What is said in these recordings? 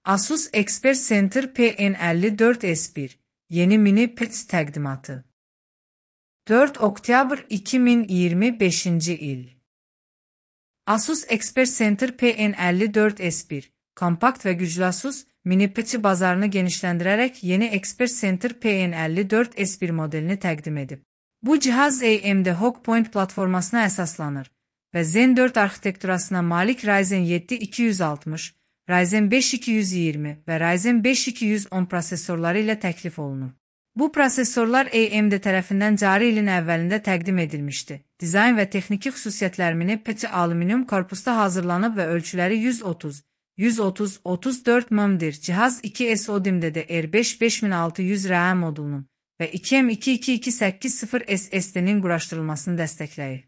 Asus Expert Center PN54S1 yeni mini PET təqdimatı. 4 oktyabr 2025 il. Asus Expert Center PN54S1 kompakt və güclü Asus mini PET bazarını genişləndirərək yeni Expert Center PN54S1 modelini təqdim edib. Bu cihaz AMD Hawkpoint platformasına əsaslanır və Zen 4 arxitekturasına malik Ryzen 7 260, Ryzen 5 220 və Ryzen 5 210 prosesorları ilə təklif olunur. Bu prosesorlar AMD tərəfindən cari ilin əvvəlində təqdim edilmişdi. Dizayn və texniki xüsusiyyətlər mini PET alüminium korpusda hazırlanıb və ölçüləri 130-34 mm'dir. Cihaz 2 SODIMM DDR5 5600 RAM modulunun və 2M2228 SSD-nin quraşdırılmasını dəstəkləyir.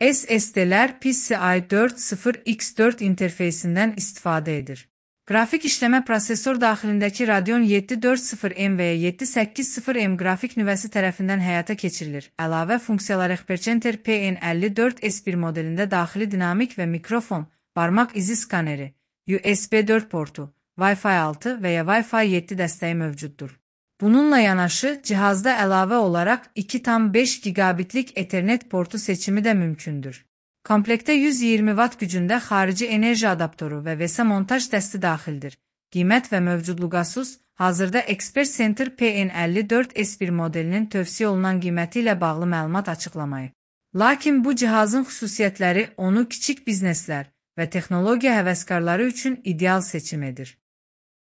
SSD-lər PCIe 4.0x4 interfeysindən istifadə edir. Qrafik işləmə prosesor daxilindəki Radeon 740M və ya 780M qrafik nüvəsi tərəfindən həyata keçirilir. Əlavə funksiyalar Expert PN54S1 modelində daxili dinamik və mikrofon, barmaq izi skaneri, USB 4 portu, Wi-Fi 6 və ya Wi-Fi 7 dəstəyi mövcuddur. Bununla yanaşı, cihazda əlavə olaraq 2,5 gigabitlik Ethernet portu seçimi də mümkündür. Komplektə 120 Watt gücündə xarici enerji adaptoru və VESA montaj dəsti daxildir. Qiymət və mövcudluq Asus hazırda Expert Center PN54S1 modelinin tövsiyə olunan qiyməti ilə bağlı məlumat açıqlamayıb. Lakin bu cihazın xüsusiyyətləri onu kiçik bizneslər və texnologiya həvəskarları üçün ideal seçim edir.